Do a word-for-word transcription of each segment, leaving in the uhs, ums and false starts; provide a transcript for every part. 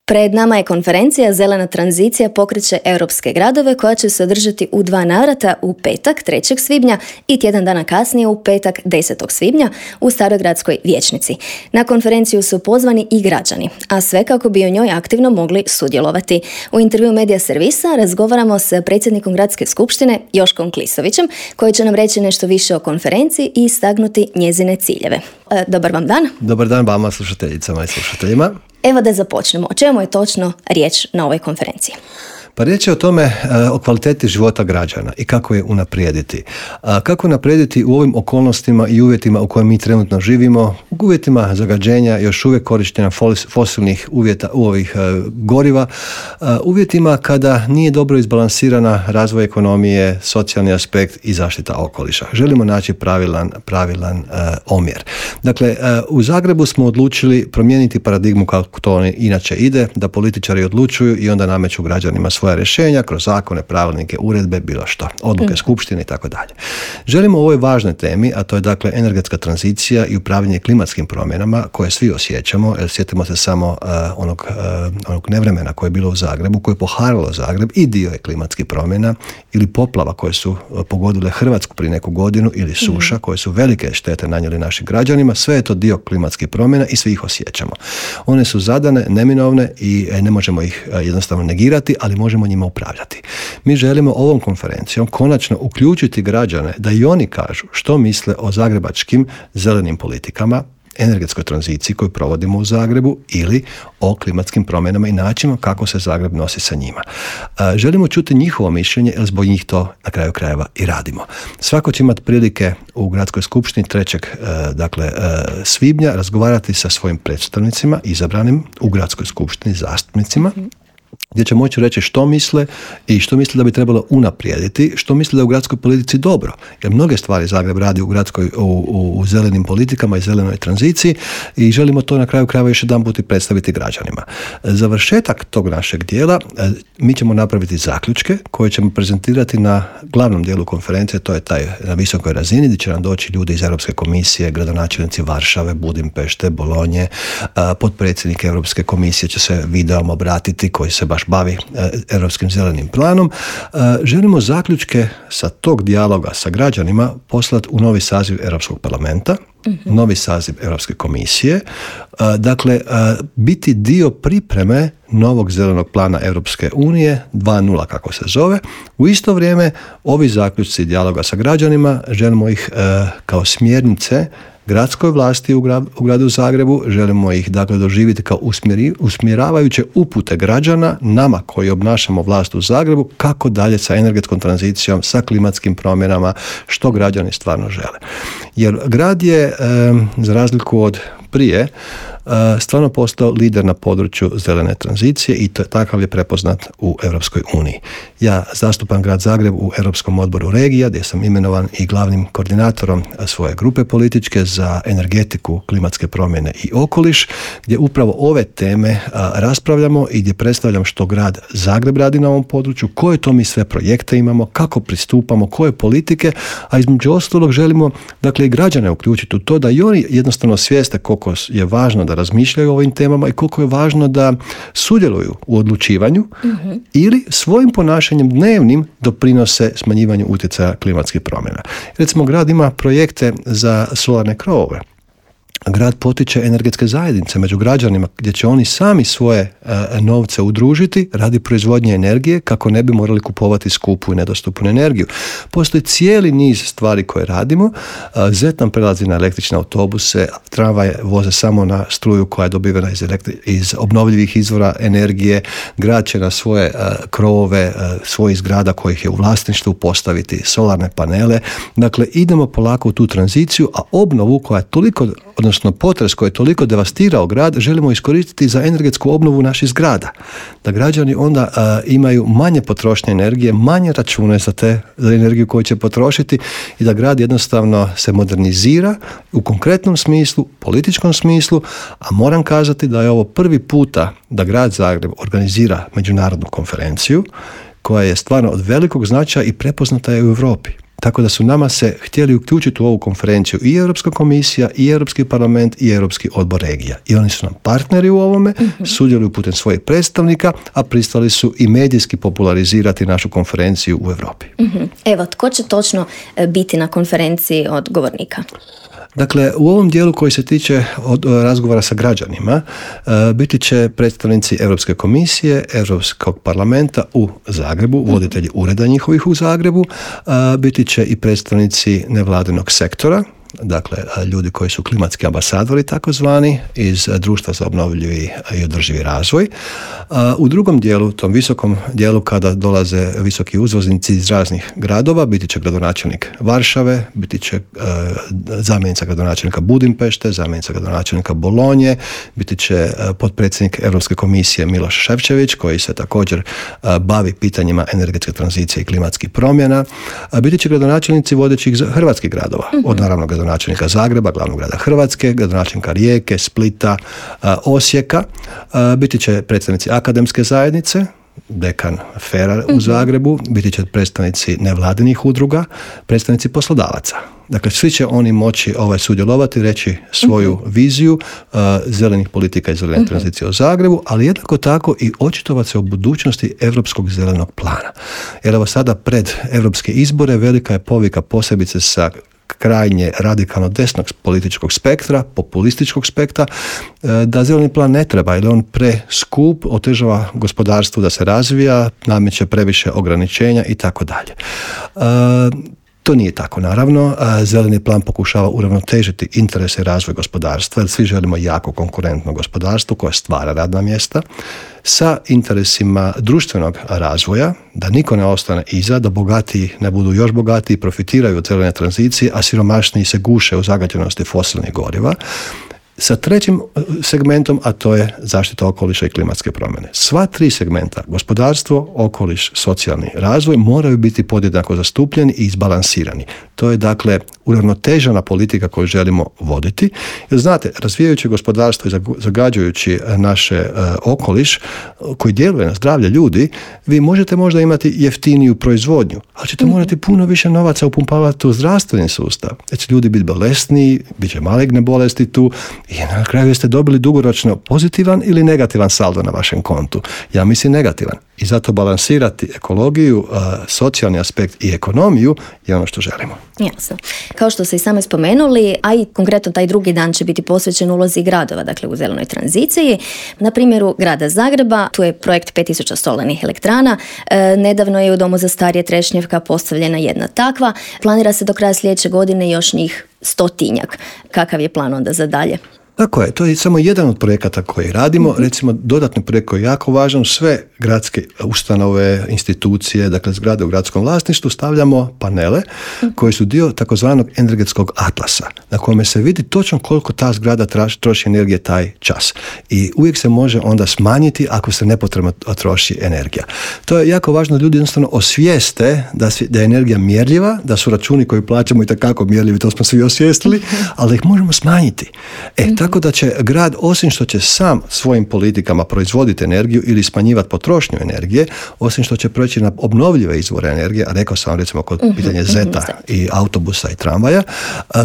Pred nama je konferencija Zelena tranzicija pokreće europske gradove koja će se održati u dva navrata u petak trećeg svibnja i tjedan dana kasnije u petak desetog svibnja u Starogradskoj vijećnici. Na konferenciju su pozvani i građani, a sve kako bi u njoj aktivno mogli sudjelovati. U intervju Medija servisa razgovaramo s predsjednikom Gradske skupštine Joškom Klisovićem koji će nam reći nešto više o konferenciji i istaknuti njezine ciljeve. E, dobar vam dan. Dobar dan vama, slušateljicama i slušateljima. Evo da započnemo. O čemu je točno riječ na ovoj konferenciji? Pa riječ je o tome, o kvaliteti života građana i kako je unaprijediti. Kako unaprijediti u ovim okolnostima i uvjetima u kojima mi trenutno živimo, u uvjetima zagađenja, još uvijek korištenja fosilnih uvjeta u ovih goriva, uvjetima kada nije dobro izbalansirana razvoj ekonomije, socijalni aspekt i zaštita okoliša. Želimo naći pravilan, pravilan uh, omjer. Dakle, uh, u Zagrebu smo odlučili promijeniti paradigmu kako to inače ide, da političari odlučuju i onda nameću građanima svoja rješenja kroz zakone, pravilnike, uredbe, bilo što, odluke skupštine i tako dalje. Želimo o ovoj važnoj temi, a to je dakle energetska tranzicija i upravljanje klimatskim promjenama koje svi osjećamo, jer sjetimo se samo uh, onog, uh, onog nevremena koje je bilo u Zagrebu, koje je poharalo Zagreb i dio je klimatskih promjena ili poplava koje su uh, pogodile Hrvatsku prije neku godinu ili suša mm. koje su velike štete nanijeli našim građanima. Sve je to dio klimatskih promjena i svi ih osjećamo. One su zadane, neminovne i ne možemo ih uh, jednostavno negirati, ali možemo njima upravljati. Mi želimo ovom konferencijom konačno uključiti građane da i oni kažu što misle o zagrebačkim zelenim politikama, energetskoj tranziciji koju provodimo u Zagrebu ili o klimatskim promjenama i načinu kako se Zagreb nosi sa njima. Želimo čuti njihovo mišljenje jer zbog njih to na kraju krajeva i radimo. Svako će imati prilike u Gradskoj skupštini trećeg dakle, svibnja razgovarati sa svojim predstavnicima izabranim u Gradskoj skupštini, zastupnicima, gdje će moći reći što misle i što misle da bi trebalo unaprijediti, što misle da je u gradskoj politici dobro. Jer mnoge stvari Zagreb radi u, gradskoj, u, u, u zelenim politikama i zelenoj tranziciji i želimo to na kraju krajeva još jedan put i predstaviti građanima. Završetak tog našeg dijela mi ćemo napraviti zaključke koje ćemo prezentirati na glavnom dijelu konferencije, to je taj na visokoj razini gdje će nam doći ljudi iz Europske komisije, gradonačelnici Varšave, Budimpešte, Bolonje, potpredsjednik Europske komisije će se videom obratiti koji se baš bavi e, Europskim zelenim planom. E, želimo zaključke sa tog dijaloga sa građanima poslati u novi saziv Europskog parlamenta, mm-hmm. novi saziv Europske komisije, e, dakle e, biti dio pripreme novog zelenog plana Europske unije dva nula kako se zove. U isto vrijeme ovi zaključci dijaloga sa građanima želimo ih e, kao smjernice gradskoj vlasti u, gra, u gradu Zagrebu, želimo ih dakle doživjeti kao usmjeri, usmjeravajuće upute građana, nama koji obnašamo vlast u Zagrebu, kako dalje sa energetskom tranzicijom, sa klimatskim promjenama, što građani stvarno žele. Jer grad je, e, za razliku od prije, stvarno postao lider na području zelene tranzicije i to, takav je prepoznat u Europskoj uniji. Ja zastupam grad Zagreb u Europskom odboru regija gdje sam imenovan i glavnim koordinatorom svoje grupe političke za energetiku, klimatske promjene i okoliš, gdje upravo ove teme a, raspravljamo i gdje predstavljam što grad Zagreb radi na ovom području, koje to mi sve projekte imamo, kako pristupamo, koje politike, a između ostalog želimo dakle i građane uključiti u to da i oni jednostavno svijeste koliko je važno da razmišljaju o ovim temama i koliko je važno da sudjeluju u odlučivanju mm-hmm. ili svojim ponašanjem dnevnim doprinose smanjivanju utjecaja klimatskih promjena. Recimo, grad ima projekte za solarne krovove. Grad potiče energetske zajednice među građanima gdje će oni sami svoje e, novce udružiti radi proizvodnje energije kako ne bi morali kupovati skupu i nedostupnu energiju. Postoji cijeli niz stvari koje radimo. E, Zet nam prelazi na električne autobuse, tramvaje voze samo na struju koja je dobivena iz, elektri- iz obnovljivih izvora energije. Grad će na svoje e, krovove, e, svojih zgrada kojih je u vlasništvu postaviti solarne panele. Dakle, idemo polako u tu tranziciju, a obnovu koja je toliko, odnosno potres koji je toliko devastirao grad, želimo iskoristiti za energetsku obnovu naših zgrada. Da građani onda a, imaju manje potrošnje energije, manje račune za te za energiju koju će potrošiti i da grad jednostavno se modernizira u konkretnom smislu, političkom smislu, a moram kazati da je ovo prvi puta da grad Zagreb organizira međunarodnu konferenciju koja je stvarno od velikog značaja i prepoznata je u Europi. Tako da su nama se htjeli uključiti u ovu konferenciju i Europska komisija, i Europski parlament, i Europski odbor regija. I oni su nam partneri u ovome, mm-hmm. sudjeluju putem svojih predstavnika, a pristali su i medijski popularizirati našu konferenciju u Europi. Mm-hmm. Evo, tko će točno biti na konferenciji od govornika? Dakle, u ovom dijelu koji se tiče od razgovora sa građanima, biti će predstavnici Europske komisije, Europskog parlamenta u Zagrebu, voditelji ureda njihovih u Zagrebu, biti će i predstavnici nevladinog sektora, dakle ljudi koji su klimatski ambasadori takozvani iz društva za obnovljivi i održivi razvoj. U drugom dijelu, tom visokom dijelu kada dolaze visoki uzvoznici iz raznih gradova, biti će gradonačelnik Varšave, biti će zamjenica gradonačelnika Budimpešte, zamjenica gradonačelnika Bolonje, biti će potpredsjednik Europske komisije Miloš Šefčević koji se također bavi pitanjima energetske tranzicije i klimatskih promjena. Biti će gradonačelnici vodećih hrvatskih gradova, od naravno gradonačelnika Zagreba, glavnog grada Hrvatske, gradonačelnika Rijeke, Splita, Osijeka. Biti će predstavnici akademske zajednice, dekan Fera u Zagrebu, biti će predstavnici nevladinih udruga, predstavnici poslodavaca. Dakle, svi će oni moći ovaj, sudjelovati, reći svoju uh-huh. viziju uh, zelenih politika i zelene uh-huh. tranzicije u Zagrebu, ali jednako tako i očitovati se o budućnosti Europskog zelenog plana. Jer evo sada pred europske izbore velika je povika posebice sa krajnje radikalno desnog političkog spektra, populističkog spektra, da zeleni plan ne treba jer je on preskup, otežava gospodarstvu da se razvija, nameće previše ograničenja i tako dalje. To nije tako, naravno. Zeleni plan pokušava uravnotežiti interese i razvoj gospodarstva, jer svi želimo jako konkurentno gospodarstvo koje stvara radna mjesta sa interesima društvenog razvoja, da niko ne ostane iza, da bogatiji ne budu još bogatiji, profitiraju od zelene tranzicije, a siromašniji se guše u zagađenosti fosilnih goriva. Sa trećim segmentom, a to je zaštita okoliša i klimatske promjene. Sva tri segmenta, gospodarstvo, okoliš, socijalni razvoj, moraju biti podjednako zastupljeni i izbalansirani. To je dakle uravnotežena politika koju želimo voditi. Jer znate, razvijajući gospodarstvo i zagađujući naše uh, okoliš koji djeluje na zdravlje ljudi, vi možete možda imati jeftiniju proizvodnju, ali ćete mm-hmm. morati puno više novaca upumpavati u zdravstveni sustav. Jer će ljudi biti bolesniji, bit će maligne bolesti tu, i na kraju ste dobili dugoročno pozitivan ili negativan saldo na vašem kontu. Ja mislim negativan. I zato balansirati ekologiju, socijalni aspekt i ekonomiju je ono što želimo. Jasno. Kao što ste i sami spomenuli, a i konkretno taj drugi dan će biti posvećen ulozi gradova, dakle u zelenoj tranziciji. Na primjeru grada Zagreba, tu je projekt pet tisuća solarnih elektrana. E, nedavno je u Domu za starije Trešnjevka postavljena jedna takva. Planira se do kraja sljedeće godine još njih stotinjak. Kakav je plan onda za dalje? Tako je, to je samo jedan od projekata koji radimo. Mm-hmm. Recimo, dodatni projekt koji je jako važan, sve gradske ustanove, institucije, dakle zgrade u gradskom vlasništvu, stavljamo panele mm-hmm. koji su dio takozvanog energetskog atlasa, na kome se vidi točno koliko ta zgrada troši energije taj čas. I uvijek se može onda smanjiti ako se nepotrebno troši energija. To je jako važno da ljudi jednostavno osvijeste da, da je energija mjerljiva, da su računi koji plaćamo itekako mjerljivi, to smo svi osvijestili, ali ih možemo smanjiti. E, mm-hmm. Tako da će grad, osim što će sam svojim politikama proizvoditi energiju ili smanjivati potrošnju energije, osim što će proći na obnovljive izvore energije, a rekao sam recimo kod uh-huh, pitanja zeta uh-huh. i autobusa i tramvaja,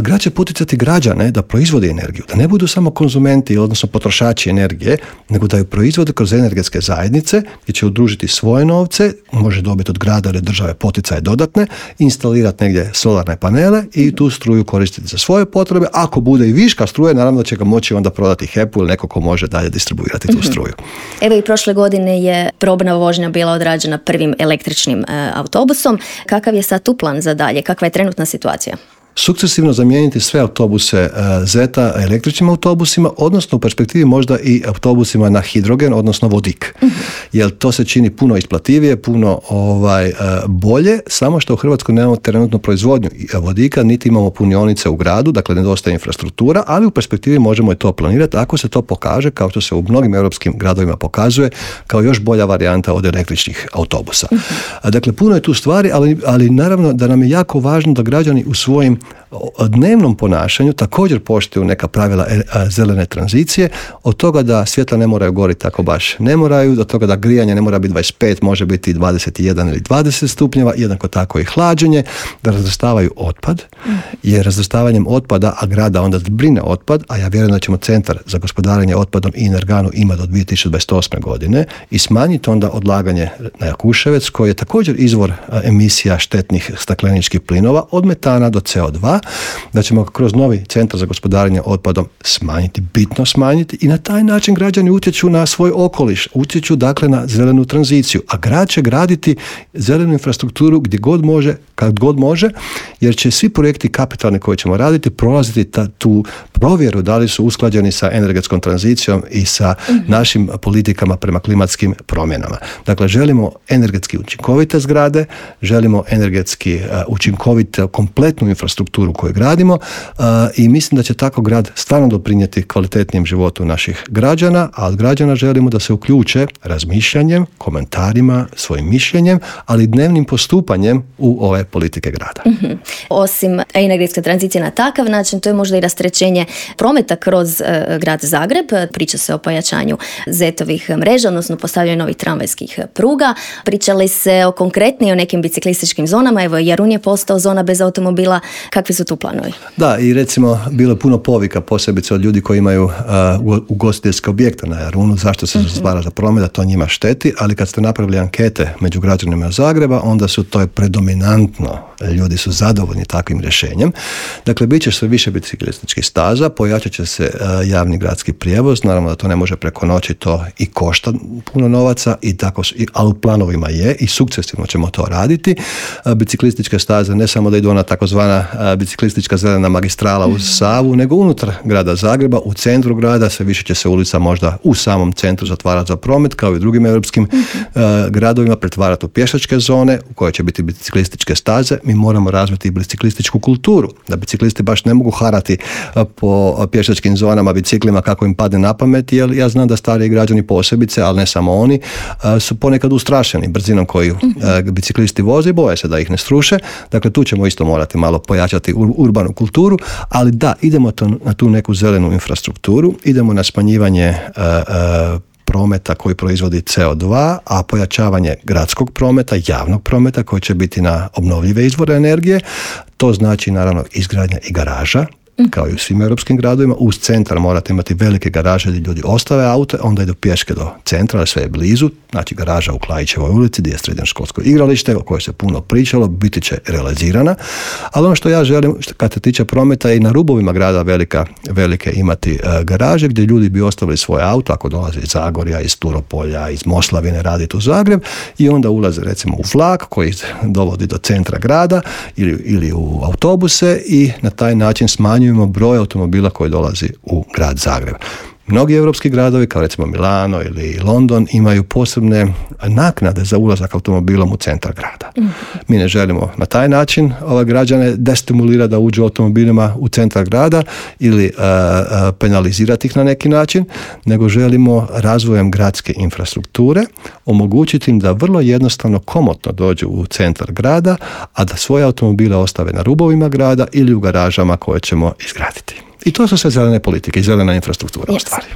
grad će poticati građane da proizvode energiju, da ne budu samo konzumenti, odnosno potrošači energije, nego da ju proizvode kroz energetske zajednice gdje će udružiti svoje novce, može dobiti od grada ili države poticaje dodatne, instalirati negdje solarne panele i tu struju koristiti za svoje potrebe. Ako bude i viška struje, naravno da će ga moći onda prodati H E P-u ili neko ko može dalje distribuirati tu struju. Evo i prošle godine je probna vožnja bila odrađena prvim električnim e, autobusom. Kakav je sad tu plan za dalje? Kakva je trenutna situacija? Sukcesivno zamijeniti sve autobuse Zeta električnim autobusima, odnosno u perspektivi možda i autobusima na hidrogen, odnosno vodik. Mm-hmm. Jer to se čini puno isplativije, puno ovaj, bolje, samo što u Hrvatskoj nemamo trenutno proizvodnju vodika, niti imamo punionice u gradu, dakle nedostaje infrastruktura, ali u perspektivi možemo i to planirati ako se to pokaže, kao što se u mnogim europskim gradovima pokazuje, kao još bolja varijanta od električnih autobusa. Mm-hmm. Dakle, puno je tu stvari, ali, ali naravno da nam je jako važno da građani u svojim dnevnom ponašanju također poštuju neka pravila zelene tranzicije, od toga da svjetla ne moraju goriti tako baš ne moraju, do toga da grijanje ne mora biti dvadeset pet, može biti dvadeset jedan ili dvadeset stupnjeva, jednako tako i hlađenje, da razvrstavaju otpad, jer razvrstavanjem otpada, a grada onda zbrine otpad, a ja vjerujem da ćemo centar za gospodarenje otpadom i energanu ima do dvije tisuće dvadeset osme godine i smanjiti onda odlaganje na Jakuševec, koji je također izvor emisija štetnih stakleničkih plinova od metana do C O dva, da ćemo kroz novi centar za gospodarenje otpadom smanjiti, bitno smanjiti i na taj način građani utječu na svoj okoliš, utječu dakle na zelenu tranziciju, a grad će graditi zelenu infrastrukturu gdje god može, kad god može, jer će svi projekti kapitalni koje ćemo raditi prolaziti ta, tu provjeru da li su usklađeni sa energetskom tranzicijom i sa mm-hmm. našim politikama prema klimatskim promjenama. Dakle, želimo energetski učinkovite zgrade, želimo energetski uh, učinkovitu kompletnu infrastrukturu koju gradimo uh, i mislim da će tako grad stvarno doprinijeti kvalitetnijem životu naših građana, a od građana želimo da se uključe razmišljanjem, komentarima, svojim mišljenjem, ali dnevnim postupanjem u ove politike grada. Mm-hmm. Osim energetske tranzicije na takav način, to je možda i rasterećenje prometa kroz uh, grad Zagreb. Priča se o pojačanju zetovih mreža, odnosno postavljanju novih tramvajskih pruga. Pričali se o konkretnije o nekim biciklističkim zonama. Evo, Jarun je postao zona bez automobila. Kakvi su tu planovi? Da, i recimo bilo je puno povika, posebice od ljudi koji imaju uh, ugostiteljske objekte na Jarunu, zašto se mm-hmm. zatvara za promet, da to njima šteti, ali kad ste napravili ankete među građanima Zagreba, onda su to je predominantno. Ljudi su zadovoljni takvim rješenjem. Dakle, bit će sve više biciklističkih staza, pojačat će se uh, javni gradski prijevoz, naravno da to ne može preko noći, to i košta puno novaca, i tako, ali u planovima je i sukcesivno ćemo to raditi. Uh, biciklističke staze ne samo da idu ona takozvana uh, biciklistička zelena magistrala uz Savu, nego unutar grada Zagreba, u centru grada, sve više će se ulica možda u samom centru zatvarati za promet, kao i u drugim europskim uh, gradovima, pretvarati u pješačke zone u koje će biti biciklističke staze. Mi moramo razviti i biciklističku kulturu, da biciklisti baš ne mogu harati po pješačkim zonama biciklima kako im padne na pamet, jer ja znam da stariji građani posebice, ali ne samo oni, su ponekad ustrašeni brzinom koju biciklisti voze i boje se da ih ne sruše. Dakle, tu ćemo isto morati malo pojačati urbanu kulturu, ali da, idemo to, na tu neku zelenu infrastrukturu, idemo na smanjivanje uh, uh, prometa koji proizvodi C O dva, a pojačavanje gradskog prometa, javnog prometa koji će biti na obnovljive izvore energije. To znači naravno izgradnja i garaža, kao i u svim europskim gradovima. Uz centar morate imati velike garaže gdje ljudi ostave aute, onda idu pješke do centra, ali sve je blizu. Znači garaža u Klajićevoj ulici gdje je srednjoškolsko igralište o kojoj se puno pričalo, biti će realizirana. Ali ono što ja želim, što kad se tiče prometa, je i na rubovima grada velika, velike imati uh, garaže gdje ljudi bi ostavili svoje auto ako dolaze iz Zagorja, iz Turopolja, iz Moslavine raditi u Zagreb, i onda ulaze recimo u vlak koji dovodi do centra grada ili, ili u autobuse, i na taj način smanjujemo broj automobila koji dolazi u grad Zagreb. Mnogi europski gradovi, kao recimo Milano ili London, imaju posebne naknade za ulazak automobilom u centar grada. Mm. Mi ne želimo na taj način ove građane destimulirati da uđu automobilima u centar grada ili uh, uh, penalizirati ih na neki način, nego želimo razvojem gradske infrastrukture omogućiti im da vrlo jednostavno, komotno dođu u centar grada, a da svoje automobile ostave na rubovima grada ili u garažama koje ćemo izgraditi. I to su sve zelene politike i zelena infrastruktura yes. u stvari.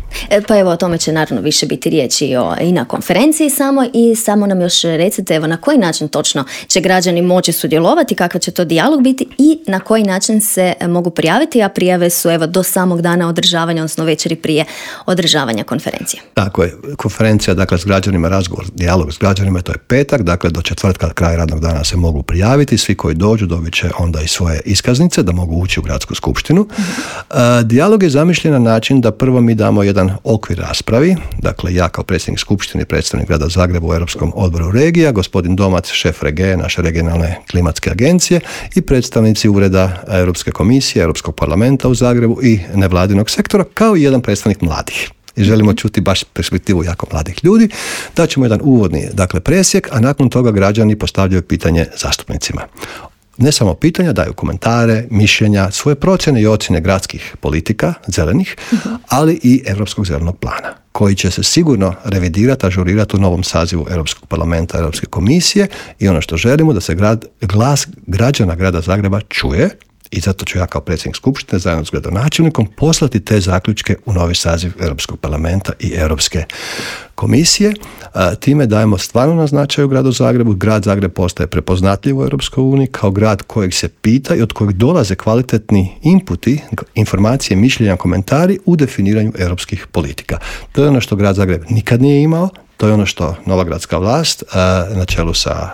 Pa evo, o tome će naravno više biti riječi o, i na konferenciji samo, i samo nam još recite, evo, na koji način točno će građani moći sudjelovati, kakav će to dijalog biti i na koji način se mogu prijaviti, a prijave su evo do samog dana održavanja, odnosno večeri prije održavanja konferencije. Tako je, konferencija, dakle, s građanima, razgovor, dijalog s građanima, to je petak, dakle, do četvrtka, kraj radnog dana se mogu prijaviti, svi koji dođu dobit će onda i svoje iskaznice da mogu ući u gradsku skupštinu. Mm-hmm. Dijalog je zamišljen na način da prvo mi damo jedan okvir raspravi, dakle ja kao predsjednik skupštine i predstavnik grada Zagreba u Europskom odboru regija, gospodin Domac, šef Rege, naše regionalne klimatske agencije, i predstavnici ureda Europske komisije, Europskog parlamenta u Zagrebu i nevladinog sektora, kao i jedan predstavnik mladih. I želimo čuti baš perspektivu jako mladih ljudi. Daćemo jedan uvodni, dakle, presjek, a nakon toga građani postavljaju pitanje zastupnicima. Ne samo pitanja, daju komentare, mišljenja, svoje procjene i ocjene gradskih politika, zelenih, uh-huh. ali i Europskog zelenog plana, koji će se sigurno revidirati, ažurirati u novom sazivu Europskog parlamenta, Europske komisije, i ono što želimo da se grad, glas građana grada Zagreba čuje i zato ću ja kao predsjednik skupštine zajedno s gradonačelnikom poslati te zaključke u novi saziv Europskog parlamenta i Europske komisije. Time dajemo stvarno na značaju gradu Zagrebu. Grad Zagreb postaje prepoznatljiv u Europskoj uniji kao grad kojeg se pita i od kojeg dolaze kvalitetni inputi, informacije, mišljenja, komentari u definiranju europskih politika. To je ono što grad Zagreb nikad nije imao. To je ono što nova gradska vlast na čelu sa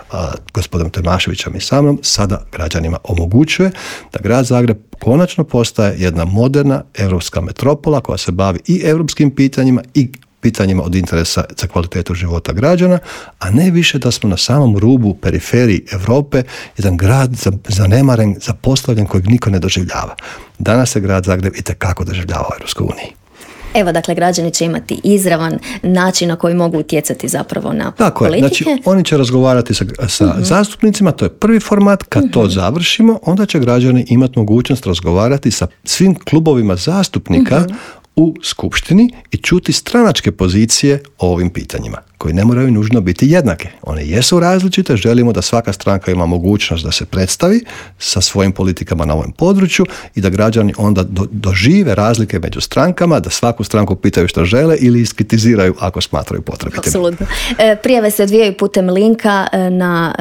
gospodinom Tomaševićem i sa mnom sada građanima omogućuje da grad Zagreb konačno postaje jedna moderna europska metropola koja se bavi i europskim pitanjima i pitanjima od interesa za kvalitetu života građana, a ne više da smo na samom rubu periferiji Europe, jedan grad zanemaren, zapostavljen kojeg niko ne doživljava. Danas se grad Zagreb itekako doživljava u Europskoj uniji. Evo, dakle, građani će imati izravan način na koji mogu utjecati zapravo na Tako politike. Je, znači oni će razgovarati sa, sa uh-huh. zastupnicima, to je prvi format, kad uh-huh. to završimo, onda će građani imati mogućnost razgovarati sa svim klubovima zastupnika uh-huh. u skupštini i čuti stranačke pozicije o ovim pitanjima, koji ne moraju nužno biti jednake. One jesu različite, želimo da svaka stranka ima mogućnost da se predstavi sa svojim politikama na ovom području i da građani onda do, dožive razlike među strankama, da svaku stranku pitaju što žele ili iskritiziraju ako smatraju potrebitim. Apsolutno. E, prijave se odvijaju putem linka na,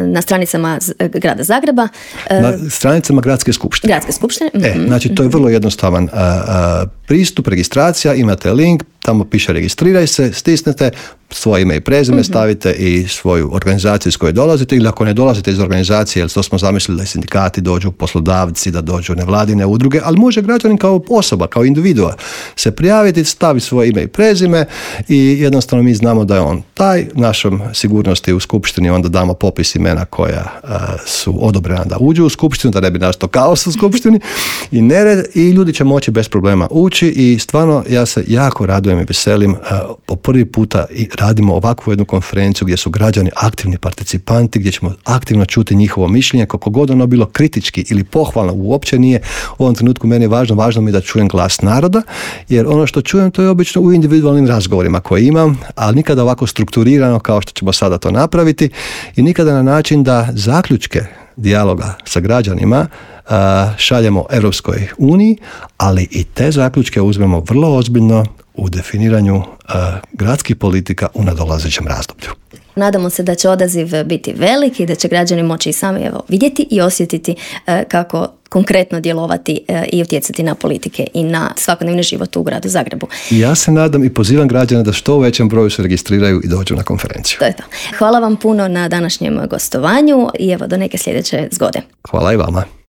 na stranicama grada Zagreba. E, na stranicama gradske skupštine. Gradske skupštine. E, mm-hmm. Znači, to je vrlo jednostavan a, a, pristup, registracija, imate link, tamo piše registriraj se, stisnete, svoje ime i prezime mm-hmm. stavite i svoju organizaciju iz koje dolazite, ili ako ne dolazite iz organizacije, jer to smo zamislili da sindikati dođu, poslodavci, da dođu nevladine udruge, ali može građanin kao osoba, kao individua se prijaviti, stavi svoje ime i prezime i jednostavno mi znamo da je on taj. Našom sigurnosti u skupštini onda damo popis imena koja uh, su odobrena da uđu u skupštinu, da ne bi nastao kaos u skupštini i nered, i ljudi će moći bez problema ući i stvarno ja se jako radujem i veselim. Uh, po prvi puta i radimo ovakvu jednu konferenciju gdje su građani aktivni participanti, gdje ćemo aktivno čuti njihovo mišljenje, koliko god ono bilo kritički ili pohvalno, uopće nije u ovom trenutku meni je važno, važno mi je da čujem glas naroda, jer ono što čujem to je obično u individualnim razgovorima koje imam, ali nikada ovako strukturirano kao što ćemo sada to napraviti i nikada na način da zaključke dijaloga sa građanima uh, šaljemo Europskoj uniji, ali i te zaključke uzmemo vrlo ozbiljno u definiranju uh, gradskih politika u nadolazećem razdoblju. Nadamo se da će odaziv biti veliki i da će građani moći i sami evo, vidjeti i osjetiti uh, kako konkretno djelovati uh, i utjecati na politike i na svakodnevni život u gradu Zagrebu. Ja se nadam i pozivam građane da što u većem broju se registriraju i dođu na konferenciju. To je to. Hvala vam puno na današnjem gostovanju i evo do neke sljedeće zgode. Hvala i vama.